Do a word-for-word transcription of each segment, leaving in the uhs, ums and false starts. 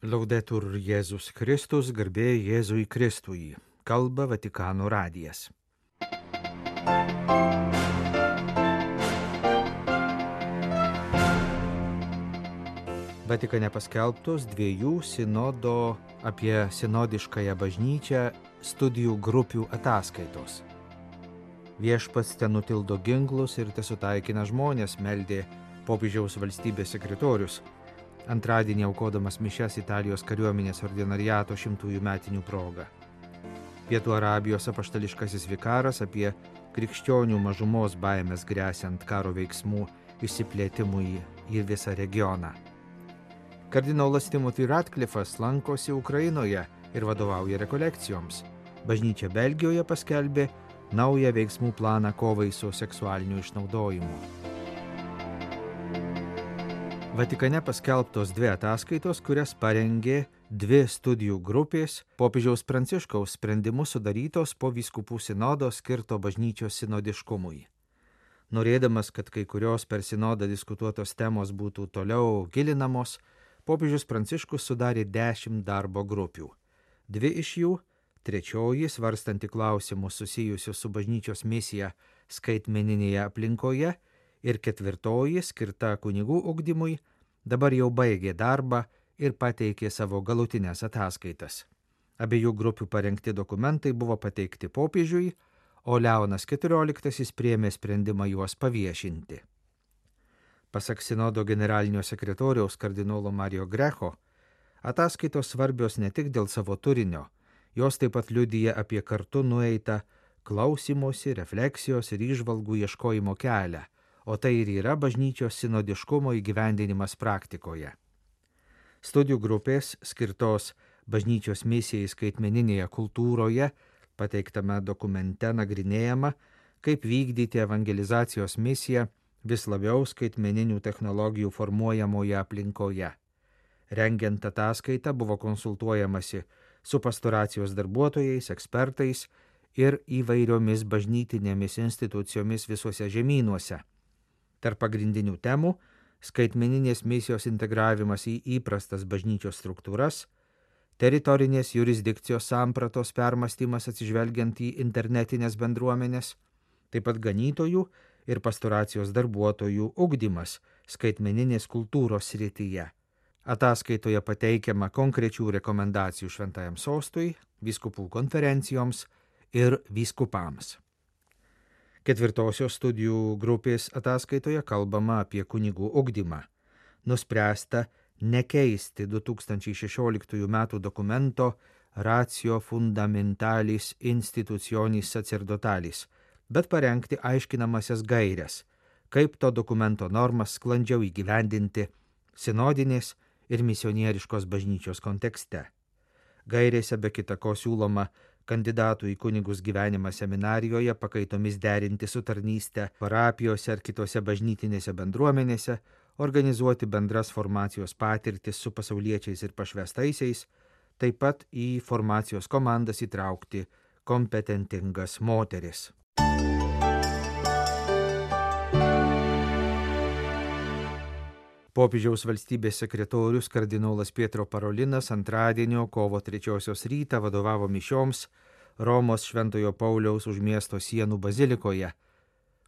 Laudetur Jėzus Kristus, garbė Jėzui Kristui. Kalba Vatikano radijas. Vatikane paskelbtos dviejų sinodo apie sinodiškąją bažnyčią studijų grupių ataskaitos. Viešpats ten nutildo ginklus ir tesutaikina žmonės, meldė popiežiaus valstybės sekretorius, antradienį aukodamas mišias Italijos kariuomenės ordinariato šimtųjų metinių proga. Pietų Arabijos apaštališkasis vikaras apie krikščionių mažumos baimės gresiant karo veiksmų išsiplėtimui į visą regioną. Kardinolas Timothy Ratcliffas lankosi Ukrainoje ir vadovauja rekolekcijoms. Bažnyčia Belgijoje paskelbė naują veiksmų planą kovai su seksualiniu išnaudojimu. Vatikane paskelbtos dvi ataskaitos, kurias parengė dvi studijų grupės popiežiaus Pranciškaus sprendimu sudarytos po vyskupų sinodo skirto bažnyčios sinodiškumui. Norėdamas, kad kai kurios per sinodą diskutuotos temos būtų toliau gilinamos, popiežius Pranciškus sudarė dešimt darbo grupių. Dvi iš jų, trečioji svarstanti klausimus susijusius su bažnyčios misija skaitmeninėje aplinkoje, ir ketvirtoji, skirta kunigų ugdymui, dabar jau baigė darbą ir pateikė savo galutinės ataskaitas. Abiejų grupių parengti dokumentai buvo pateikti popiežiui, o Leonas keturioliktasis priėmė sprendimą juos paviešinti. Pasak sinodo generalinio sekretoriaus kardinolo Mario Greco, ataskaitos svarbios ne tik dėl savo turinio, jos taip pat liudija apie kartu nueitą klausymosi, refleksijos ir įžvalgų ieškojimo kelią, o tai ir yra bažnyčios sinodiškumo įgyvendinimas praktikoje. Studijų grupės skirtos bažnyčios misijai skaitmeninėje kultūroje pateiktame dokumente nagrinėjama, kaip vykdyti evangelizacijos misiją vis labiau skaitmeninių technologijų formuojamoje aplinkoje. Rengiant ataskaitą buvo konsultuojamasi su pastoracijos darbuotojais, ekspertais ir įvairiomis bažnytinėmis institucijomis visuose žemynuose. Tarp pagrindinių temų – skaitmeninės misijos integravimas į įprastas bažnyčios struktūras, teritorinės jurisdikcijos sampratos permąstymas atsižvelgiant į internetinės bendruomenės, taip pat ganytojų ir pastoracijos darbuotojų ugdymas skaitmeninės kultūros srityje. Ataskaitoje pateikiama konkrečių rekomendacijų šventajam sostui, vyskupų konferencijoms ir vyskupams. Ketvirtosios studijų grupės ataskaitoje kalbama apie kunigų ugdymą. Nuspręsta nekeisti du tūkstančiai šešioliktųjų metų dokumento Ratio Fundamentalis Institutionis Sacerdotalis, bet parengti aiškinamasias gairias, kaip to dokumento normas sklandžiau įgyvendinti sinodinės ir misionieriškos bažnyčios kontekste. Gairėse be kita ko siūloma kandidatų į kunigus gyvenimą seminarijoje pakaitomis derinti su tarnyste parapijose ar kitose bažnytinėse bendruomenėse, organizuoti bendras formacijos patirtis su pasauliečiais ir pašvestaisiais, taip pat į formacijos komandas įtraukti kompetentingas moteris. Popiežiaus valstybės sekretorius kardinolas Pietro Parolinas antradienio kovo trečiosios rytą vadovavo mišioms Romos Šventojo Pauliaus už miesto sienų bazilikoje,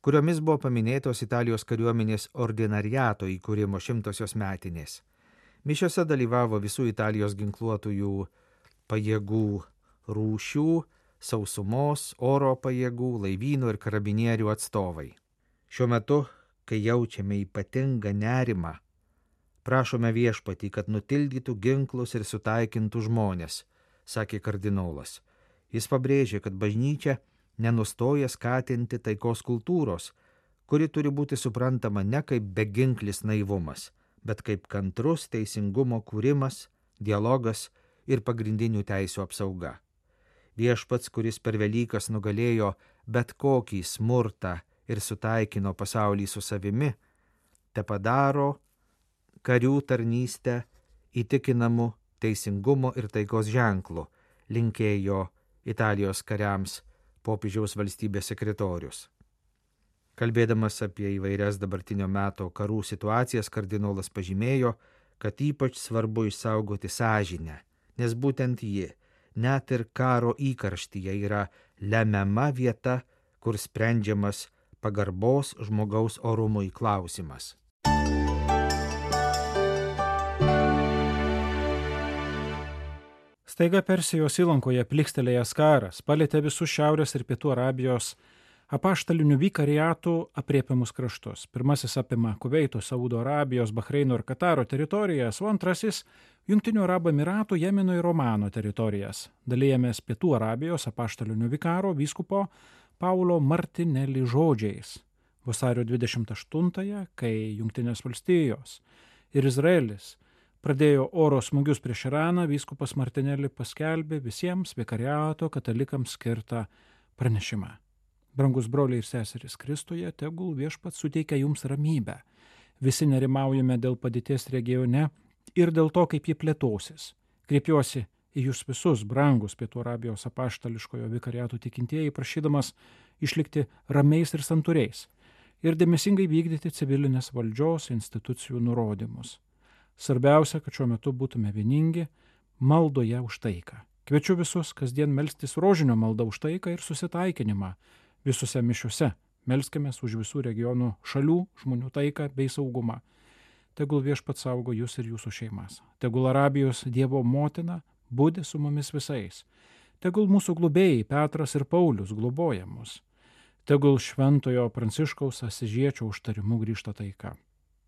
kuriomis buvo paminėtos Italijos kariuomenės ordinariato įkūrimo šimtosios metinės. Mišiose dalyvavo visų Italijos ginkluotųjų pajėgų rūšių, sausumos, oro pajėgų, laivynų ir karabinierių atstovai. Šiuo metu, kai jaučiame ypatingą nerimą, prašome viešpatį, kad nutildytų ginklus ir sutaikintų žmonės, sakė kardinolas. Jis pabrėžė, kad bažnyčia nenustoja skatinti taikos kultūros, kuri turi būti suprantama ne kaip beginklis naivumas, bet kaip kantrus teisingumo kūrimas, dialogas ir pagrindinių teisių apsauga. Viešpats, kuris per Velykas nugalėjo bet kokį smurtą ir sutaikino pasaulį su savimi, tepadaro karių tarnystę įtikinamu teisingumo ir taikos ženklu, linkėjo Italijos kariams popiežiaus valstybės sekretorius. Kalbėdamas apie įvairias dabartinio meto karų situacijas, kardinolas pažymėjo, kad ypač svarbu išsaugoti sąžinę, nes būtent ji, net ir karo įkarštyje, yra lemiama vieta, kur sprendžiamas pagarbos žmogaus orumui klausimas. Staiga Persijos įlankoje plykstelėjęs karas palėtė visus Šiaurės ir Pietų Arabijos apaštalinių vikariatų apriepiamus kraštus. Pirmasis apima Kuveito, Saudo Arabijos, Bahreino ir Kataro teritorijas, o antrasis Jungtinių Arabų Emiratų, Jemeno ir Omano teritorijas. Dalijamės Pietų Arabijos apaštalinių vikaro vyskupo Paulo Martinelli žodžiais. Vasario dvidešimt aštuntąją, kai Jungtinės valstijos ir Izraelis pradėjo oro smūgius prieš Iraną, vyskupas Martinelli paskelbė visiems vikariato katalikams skirtą pranešimą. Brangus broliai ir seserys Kristuje, tegul Viešpats suteikia jums ramybę. Visi nerimaujame dėl padėties regione ir dėl to, kaip ji plėtosis. Kreipiuosi į jūs visus, brangus Pietų Arabijos apaštališkojo vikariato tikintieji, prašydamas išlikti ramiais ir santūriais ir dėmesingai vykdyti civilinės valdžios institucijų nurodymus. Svarbiausia, kad šiuo metu būtume vieningi maldoje už taiką. Kviečiu visus kasdien melstis rožinio maldą už taiką ir susitaikinimą. Visose mišiuose melskimės už visų regionų šalių žmonių taiką bei saugumą. Tegul Viešpats saugo jūs ir jūsų šeimas. Tegul Arabijos Dievo motina budi su mumis visais. Tegul mūsų globėjai Petras ir Paulius globoja mus. Tegul šventojo Pranciškaus Asižiečio užtarimu grįžta taika.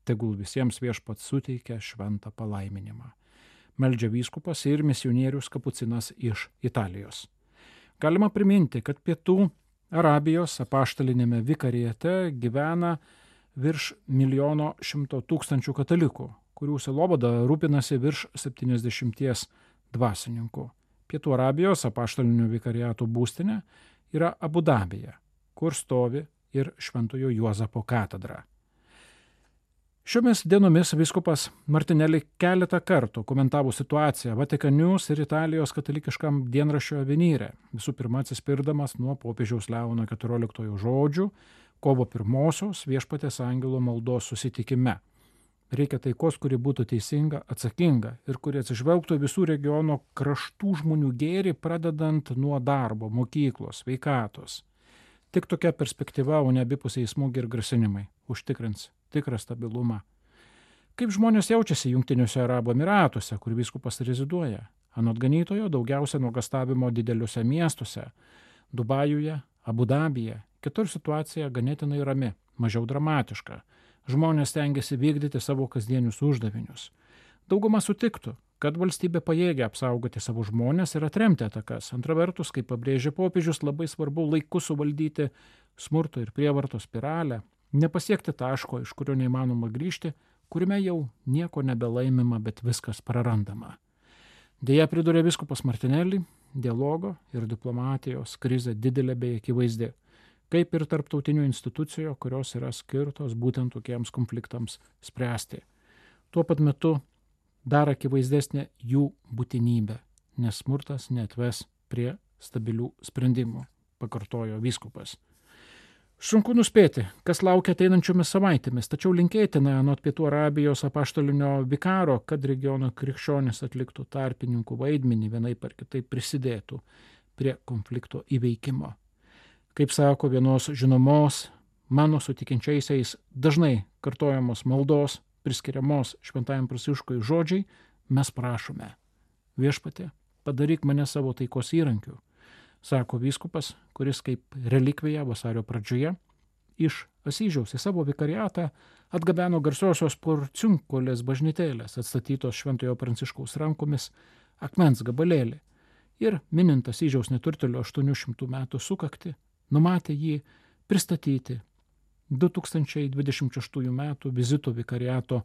Tegul visiems Viešpats suteikia šventą palaiminimą. Meldžia vyskupas ir misionierius Kapucinas iš Italijos. Galima priminti, kad Pietų Arabijos apaštalinėme vikariate gyvena virš milijono šimto tūkstančių katalikų, kurių sielovada rūpinasi virš septyniasdešimties dvasininkų. Pietų Arabijos apaštalinių vikariatų būstinė yra Abu Dabyje, kur stovi ir Šventojo Juozapo katedra. Šiomis dienomis vyskupas Martinelli keletą kartų komentavo situaciją Vatikanius ir Italijos katalikiškam dienraščio Avvenire, visų pirma atsispirdamas nuo popiežiaus Leono keturioliktojo žodžių kovo pirmosios Viešpaties angelo maldos susitikime. Reikia taikos, kuri būtų teisinga, atsakinga ir kuri atsižvelgtų visų regiono kraštų žmonių gėrį, pradedant nuo darbo, mokyklos, sveikatos. Tik tokia perspektyva, o ne abipusiai smūgiai ir grasinimai, užtikrins tikrą stabilumą. Kaip žmonės jaučiasi Jungtiniuose Arabų Emiratuose, kur vyskupas reziduoja? Anot ganytojo daugiausia nuogastavimo dideliuose miestuose – Dubajuje, Abu Dabyje. Kitur situacija ganėtinai rami, mažiau dramatiška. Žmonės stengiasi vykdyti savo kasdienius uždavinius. Dauguma sutiktų, kad valstybė pajėgia apsaugoti savo žmonės ir atremti atakas. Antra vertus, kaip pabrėžia popiežius, labai svarbu laiku suvaldyti smurto ir prievartos spiralę, nepasiekti taško, iš kurio neįmanoma grįžti, kuriame jau nieko nebelaimima, bet viskas prarandama. Deja, pridūrė vyskupas Martinelli, dialogo ir diplomatijos krizė didelė bei akivaizdi, kaip ir tarptautinių institucijų, kurios yra skirtos būtent tokiems konfliktams spręsti. Tuo pat metu dar akivaizdesnė jų būtinybė, nes smurtas neatves prie stabilių sprendimų, pakartojo vyskupas. Sunku nuspėti, kas laukia ateinančiomis savaitėmis, tačiau linkėtina anot Pietų Arabijos apaštalinio vikaro, kad regiono krikščionys atliktų tarpininkų vaidmenį, vienaip ar kitaip prisidėtų prie konflikto įveikimo. Kaip sako vienos žinomos, mano sutikinčiaisiais dažnai kartojamos maldos, priskiriamos Šventajam Pranciškui žodžiai, mes prašome: Viešpatie, padaryk mane savo taikos įrankiu, sako vyskupas, kuris kaip relikvija vasario pradžioje iš Asyžiaus į savo vikariatą atgabeno garsiosios Porciunkolės bažnytėlės, atstatytos Šventojo Pranciškaus rankomis, akmens gabalėlį ir minint Asyžiaus neturtėlio aštuonių šimtų metų sukaktį, numatė jį pristatyti du tūkstančiai dvidešimt šeštųjų metų vizito vikariato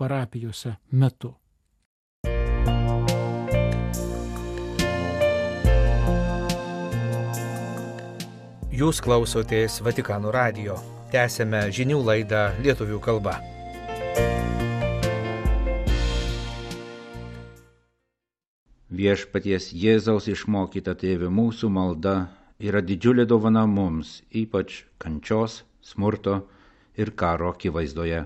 parapijose metu. Jūs klausotės Vatikano radijo. Tęsėme žinių laidą lietuvių kalba. Viešpaties Jėzaus išmokyta Tėve mūsų malda yra didžiulė dovana mums, ypač kančios, smurto ir karo akivaizdoje.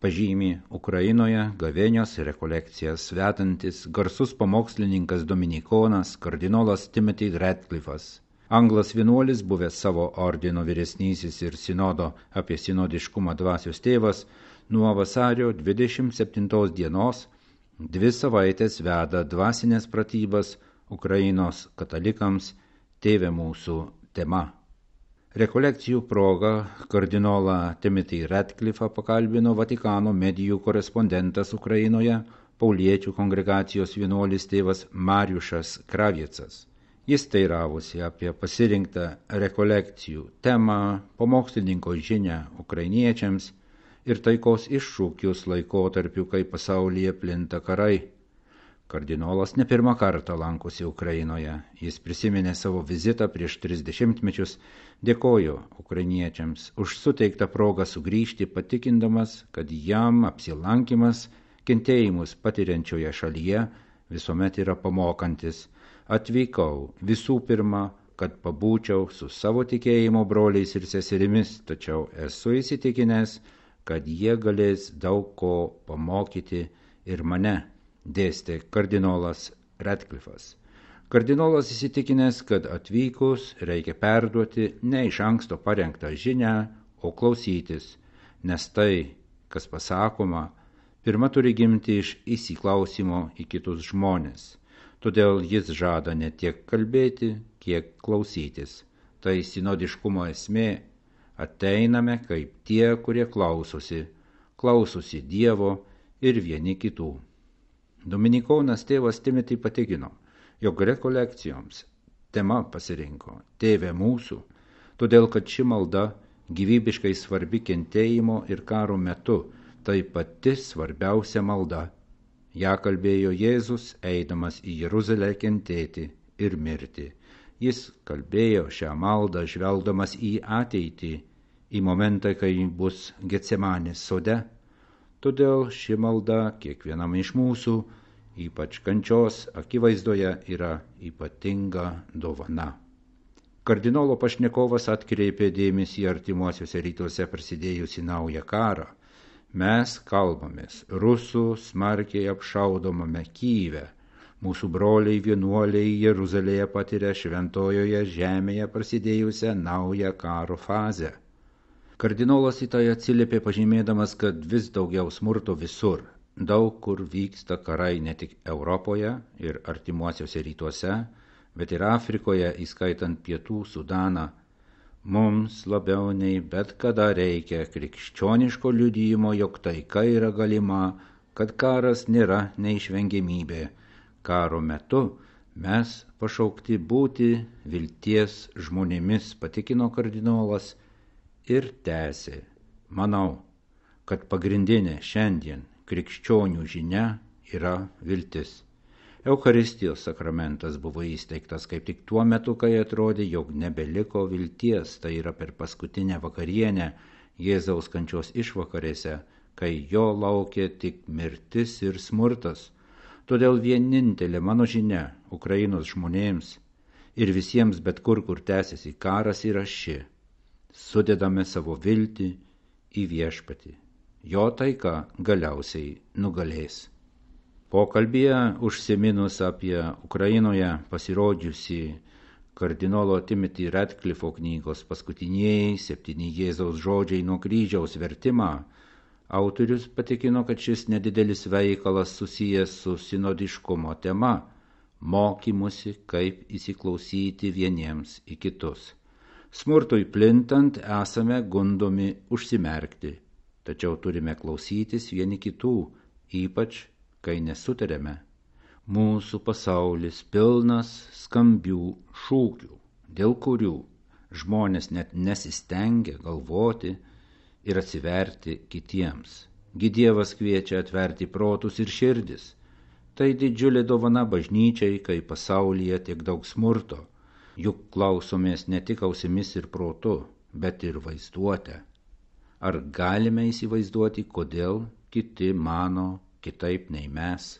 pažymi Ukrainoje gavėnios rekolekcijas vedantis garsus pamokslininkas dominikonas kardinolas Timothy Ratcliffe'as. Anglas vienuolis, buvęs savo ordino vyresnysis ir sinodo apie sinodiškumą dvasios tėvas, nuo vasario dvidešimt septintos dienos dvi savaitės veda dvasinės pratybas Ukrainos katalikams Tėve mūsų tema. Rekolekcijų proga kardinolą Timothy Ratcliffe'ą pakalbino Vatikano medijų korespondentas Ukrainoje, pauliečių kongregacijos vienuolis tėvas Mariušas Kraviecas. Jis teiravosi apie pasirinktą rekolekcijų temą, pamokslininko žinią ukrainiečiams ir taikos iššūkius laikotarpiu, kai pasaulyje plinta karai. Kardinolas ne pirmą kartą lankosi Ukrainoje. Jis prisiminė savo vizitą prieš tris dešimtmečius, dėkojo ukrainiečiams už suteiktą progą sugrįžti, patikindamas, kad jam apsilankimas kentėjimus patiriančioje šalyje visuomet yra pamokantis. Atvykau visų pirma, kad pabūčiau su savo tikėjimo broliais ir seserimis, tačiau esu įsitikinęs, kad jie galės daug ko pamokyti ir mane, dėstė kardinolas Ratcliffe'as. Kardinolas įsitikinęs, kad atvykus reikia perduoti ne iš anksto parengtą žinią, o klausytis, nes tai, kas pasakoma, pirma turi gimti iš įsiklausimo į kitus žmones. Todėl jis žada ne tiek kalbėti, kiek klausytis. Tai sinodiškumo esmė. Ateiname kaip tie, kurie klausosi, klausosi Dievo ir vieni kitų. Dominikonas tėvas Timothy patikino, jog rekolekcijoms tema pasirinko Tėve mūsų, todėl kad ši malda gyvybiškai svarbi kentėjimo ir karo metu, tai pati svarbiausia malda. Ja kalbėjo Jėzus, eidamas į Jeruzalę kentėti ir mirti. Jis kalbėjo šią maldą žvelgdamas į ateitį, į momentą, kai bus Getsemanės sode. Todėl ši malda kiekvienam iš mūsų, ypač kančios akivaizdoje, yra ypatinga dovana. Kardinolo pašnekovas atkreipė dėmesį artimuosiuose rytuose prasidėjusi naują karą. Mes kalbamės rusų smarkiai apšaudomame Kyjive. Mūsų broliai vienuoliai Jeruzalėje patiria šventojoje žemėje prasidėjusią naują karo fazę. Kardinolas į tai atsiliepė pažymėdamas, kad vis daugiau smurto visur. Daug kur vyksta karai ne tik Europoje ir artimuosiuose rytuose, bet ir Afrikoje, įskaitant Pietų Sudaną. Mums labiau nei bet kada reikia krikščioniško liudijimo, jog taika yra galima, kad karas nėra neišvengiamybė. Karo metu mes pašaukti būti vilties žmonėmis, patikino kardinolas ir tęsė. Manau, kad pagrindinė šiandien krikščionių žinia yra viltis. Eucharistijos sakramentas buvo įsteigtas kaip tik tuo metu, kai atrodė, jog nebeliko vilties, tai yra per paskutinę vakarienę Jėzaus kančios išvakarėse, kai jo laukė tik mirtis ir smurtas. Todėl vienintelė mano žinia Ukrainos žmonėms ir visiems bet kur, kur tęsiasi karas, yra ši. Sudedame savo viltį į viešpatį. Jo taika galiausiai nugalės. Pokalbyje užsiminus apie Ukrainoje pasirodžiusį kardinolo Timothy Ratcliffe'o knygos paskutinieji septyni Jėzaus žodžiai nuo kryžiaus vertimą, autorius patikino, kad šis nedidelis veikalas susijęs su sinodiškumo tema, mokymusi, kaip įsiklausyti vieniems į kitus. Smurtui plintant esame gundomi užsimerkti, tačiau turime klausytis vieni kitų, ypač kai nesutarėme. Mūsų pasaulis pilnas skambių šūkių, dėl kurių žmonės net nesistengia galvoti ir atsiverti kitiems. Gi Dievas kviečia atverti protus ir širdis. Tai didžiulė dovana bažnyčiai, kai pasaulyje tiek daug smurto. Juk klausomės ne tik ausimis ir protu, bet ir vaizduotę. Ar galime įsivaizduoti, kodėl kiti mano kitaip nei mes?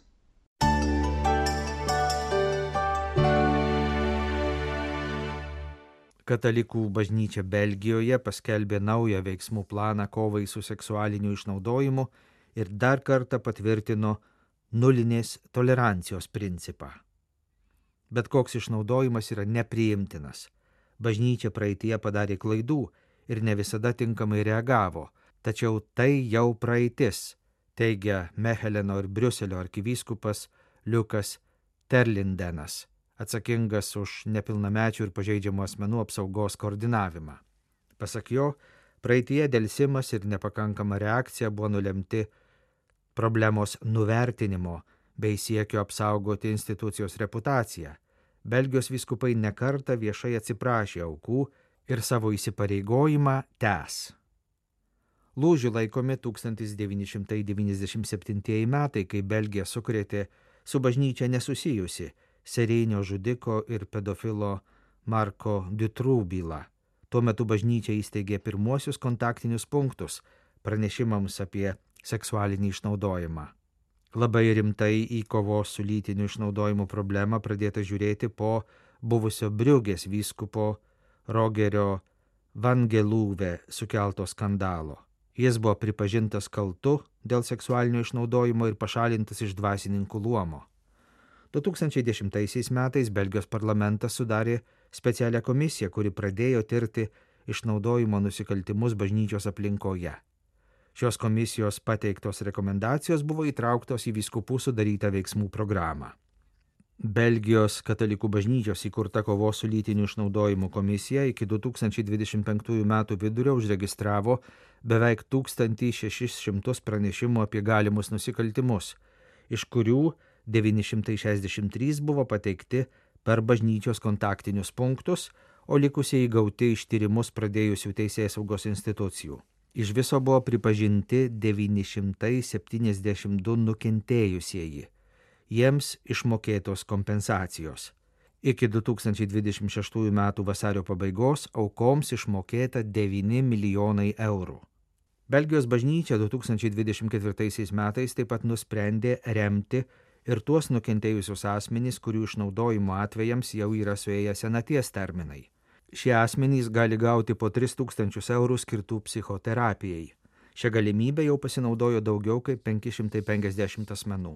Katalikų bažnyčia Belgijoje paskelbė naują veiksmų planą kovai su seksualiniu išnaudojimu ir dar kartą patvirtino nulinės tolerancijos principą. Bet koks išnaudojimas yra nepriimtinas. Bažnyčia praeitie padarė klaidų ir ne visada tinkamai reagavo, tačiau tai jau praeitis, teigia Mecheleno ir Briuselio arkivyskupas Liukas Terlindenas, atsakingas už nepilnamečių ir pažeidžiamų asmenų apsaugos koordinavimą. Pasak jo, praeitie delsimas ir nepakankama reakcija buvo nulemti problemos nuvertinimo bei siekio apsaugoti institucijos reputaciją. Belgijos vyskupai nekartą viešai atsiprašė aukų ir savo įsipareigojimą tęs. Lūžių laikomi tūkstantis devyni šimtai devyniasdešimt septintieji metai, kai Belgija sukrėtė su bažnyčia nesusijusi serijinio žudiko ir pedofilo Marko Dutroux bylą. Tuo metu bažnyčia įsteigė pirmuosius kontaktinius punktus pranešimams apie seksualinį išnaudojimą. Labai rimtai į kovos su lytiniu išnaudojimu problemą pradėta žiūrėti po buvusio Briugės vyskupo Rogerio Van Gelūve sukelto skandalo. Jis buvo pripažintas kaltu dėl seksualinio išnaudojimo ir pašalintas iš dvasininkų luomo. du tūkstančiai dešimtaisiais metais Belgijos parlamentas sudarė specialią komisiją, kuri pradėjo tirti išnaudojimo nusikaltimus bažnyčios aplinkoje. Šios komisijos pateiktos rekomendacijos buvo įtrauktos į vyskupų sudarytą veiksmų programą. Belgijos katalikų bažnyčios įkurta kovos su lytiniu išnaudojimu komisija iki du tūkstančiai dvidešimt penktųjų metų vidurio užregistravo beveik tūkstantį šešis šimtus pranešimų apie galimus nusikaltimus, iš kurių devyni šimtai šešiasdešimt trys buvo pateikti per bažnyčios kontaktinius punktus, o likusieji gauti iš tyrimus pradėjusių teisėsaugos institucijų. Iš viso buvo pripažinti devyni šimtai septyniasdešimt du nukentėjusieji. Jiems išmokėtos kompensacijos. Iki du tūkstančiai dvidešimt šeštųjų metų vasario pabaigos aukoms išmokėta devyni milijonai eurų. Belgijos bažnyčia du tūkstančiai dvidešimt ketvirtaisiais metais taip pat nusprendė remti ir tuos nukentėjusius asmenys, kurių išnaudojimo atvejams jau yra suėję senaties terminai. Šie asmenys gali gauti po tris tūkstančius eurų skirtų psichoterapijai. Šią galimybę jau pasinaudojo daugiau kaip penki šimtai penkiasdešimt asmenų.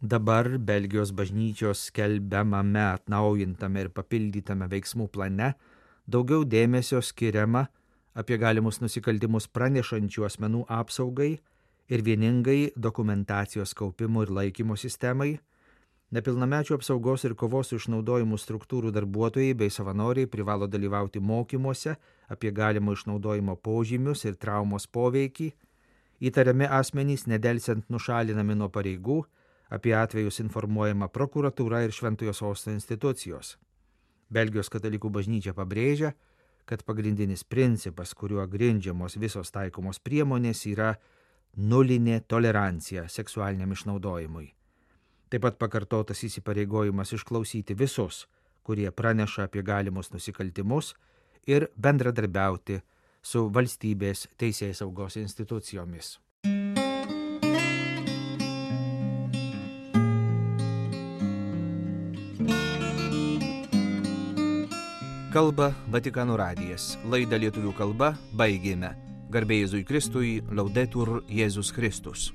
Dabar Belgijos bažnyčios skelbiamame, atnaujintame ir papildytame veiksmų plane daugiau dėmesio skiriama apie galimus nusikaltimus pranešančių asmenų apsaugai ir vieningai dokumentacijos kaupimo ir laikymo sistemai. Nepilnamečių apsaugos ir kovos su išnaudojimu struktūrų darbuotojai bei savanoriai privalo dalyvauti mokymuose apie galimo išnaudojimo požymius ir traumos poveikį. Įtariami asmenys nedelsiant nušalinami nuo pareigų, apie atvejus informuojama prokuratūra ir Šventojo Sosto institucijos. Belgijos katalikų bažnyčia pabrėžia, kad pagrindinis principas, kuriuo grindžiamos visos taikomos priemonės, yra nulinė tolerancija seksualiniam išnaudojimui. Taip pat pakartotas įsipareigojimas išklausyti visus, kurie praneša apie galimus nusikaltimus ir bendradarbiauti su valstybės teisėsaugos institucijomis. Kalba Vatikano radijas. Laidą lietuvių kalba baigėme. Garbė Jėzui Kristui, Laudetur Jėzus Kristus.